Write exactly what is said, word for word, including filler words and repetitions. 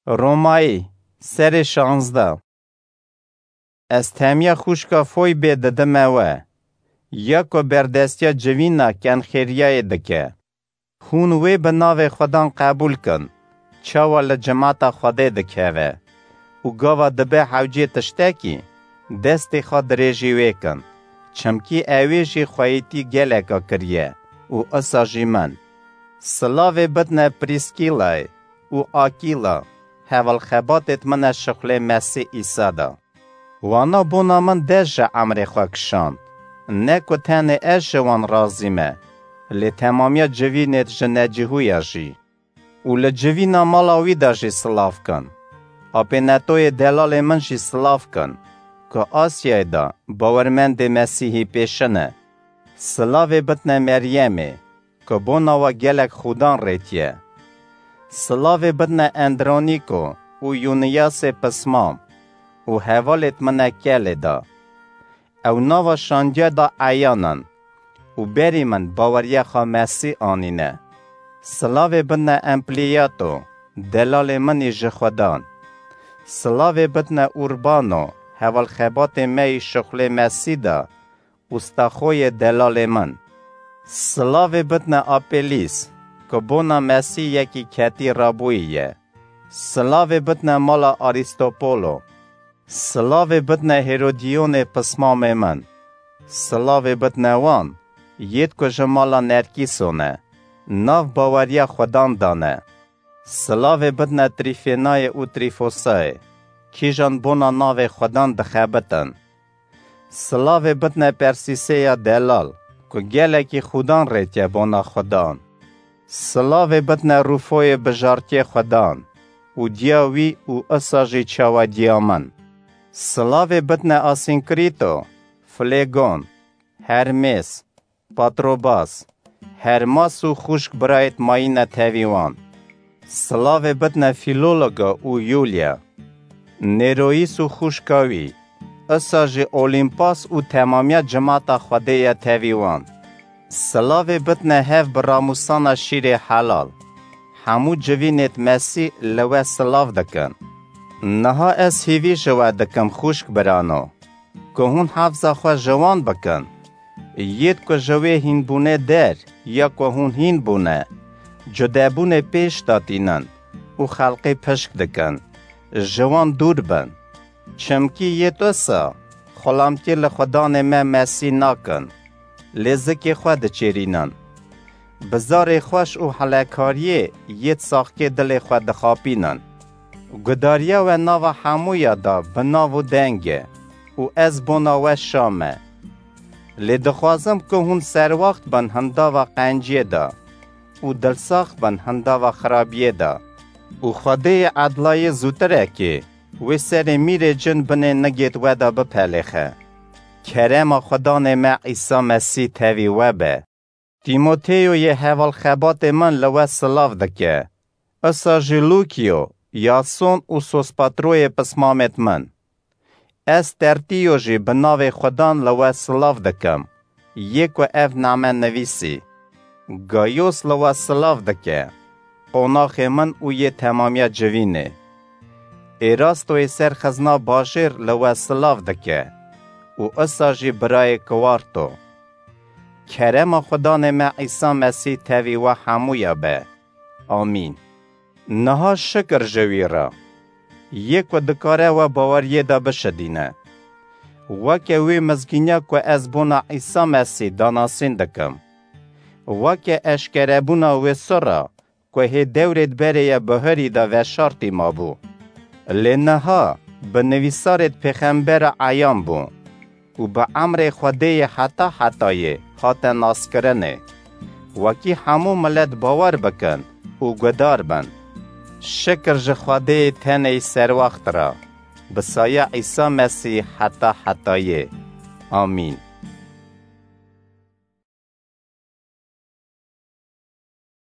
Romayî, serê şanzdeh. Ez temiya xwişka Foybê didime we, ya ku berdestiya civîna kenxêriyayê dike. Hûn wê bi navê Xwedan qebûl kin, çawa li cimata Xwedê dikeve û gava dibe hewcê tiştekî, destê xwe dirêjî wê kin, çimkî ewê jî xweyîtî geleka kiriye û isa jî min. Silavê bidne Prîskîlayê û Akîla, hevalxebatêt min e şixulê Mesîh Îsa de. Wana bona min dest ji emrê xwe kişand. Ne ku tenê ez ji wan razî me, lê temamiya civînêt ji necihûya jî. Û li civîna mala wî de jî silav kin. Apênetoyê delalê min jî silav kin, ku Asyayê de bawermendê Mesîhî pêşin e. Silavê bidne Meryemê, ku bona we gelek xudan rêtiye. Silavê bidne Endronîko û Yuniyasê pismam û hevalêt min e kelê de. Ew nava şandiya de eyan in û berî min baweriya xwe Mesîh anîne. Silavê bidne Empliyato, delalê min î ji Xwedan. Silavê bidne Urbano, hevalxebatê me yî şixulê Mesîh de, û Staxoyê delalê min. Silavê bidne Apelîs, ku bona Mesîh yekî ketî rabûyî ye. Silavê bidne mala Arîstopolo. Silavê bidne Hêrodîyonê pismamê min. Silavê bidne wan, yêd ku ji mala Nerkîso ne, nav baweriya Xwedan de ne. Silavê bidne Trîfênayê û Trîfosayê, kîjan bona navê Xwedan dixebitin. Silavê bidne Persîsê ya delal, ku gelekî xudan rêtiye bona Xwedan. Silavê bidne Rûfoyê bijartiyê Xwedan û diya wî û isa jî çawa diya min. Silavê bidne Asînkrîto, Filegon, Hermês, Patrobas, Hermas û xwişk birayêt mayîne tevî wan. Silavê bidne Fîlologa û Yûlya, Nêroyîs û xwişka wî, isa jî Olîmpas û temamiya cimata Xwedê ye tevî wan. Silavê bidne hev bi ramûsana şîrê helal. Hemû civînêt Mesîh li we silav dikin. Niha ez hîvî ji we dikim xwişk birano, ku hûn hefza xwe ji wan bikin. Yêd ku ji wê hînbûnê der ya ku hûn hîn bûne, cudebûnê pêş de tînin û xelqê pişk dikin, ji wan dûr bin. Çimkî yêd wisa xulamtiyê li Xudanê me Mesîh nakin, lê zikê xwe diçêrînin. Bi zarê xweş û helekariyê yêd saxkê dilê xwe dixapînin. Gudariya we nava hemûya de bi nav û deng e û ez bona we şa me. Lê dixwazim ku hûn serwext bin hindava qenciyê de û dilsax bin hindava xirabiyê de. Û Xwedêyê edlayê zûtirekê wê serê mîrê cin binê nigêt we de bipelêxe. Kerema Xudanê me Îsa Mesîh tevî we be. Tîmoteyo yê hevalxebatê min li we silav dike. Isa jî Lûkiyo, Yason û Sospatroyê pismamêt min. Ez Tertîyo jî bi navê Xudan li we silav dikim, yê ku ev name nivîsî. Gayos li we silav dike, qonaxê min û yê temamiya civînê. Êrastoyê ser xizna bajêr li we silav dike û isa jî birayê Kiwarto. Kerema Xudanê me Îsa Mesîh tevî we hemûya be. Amîn. Niha şikir ji wî re, yê ku dikare we baweriyê de bişidîne. Weke wê mizgîniya ku ez bona Îsa Mesîh danasîn dikim. Weke eşkerebûna wê sirra ku hê dewrêd berê ye bihurî de veşartî mabû. Lê niha bi nivîsarêd pêxembera eyan bû û bi emrê Xwedê yê heta hetayê hate naskirinê, wekî hemû milet bawer bikin û gudar bin. Şikir ji Xwedê yê tenê yî serwext re, bi saya Îsa Mesîh heta hetayê. Amîn.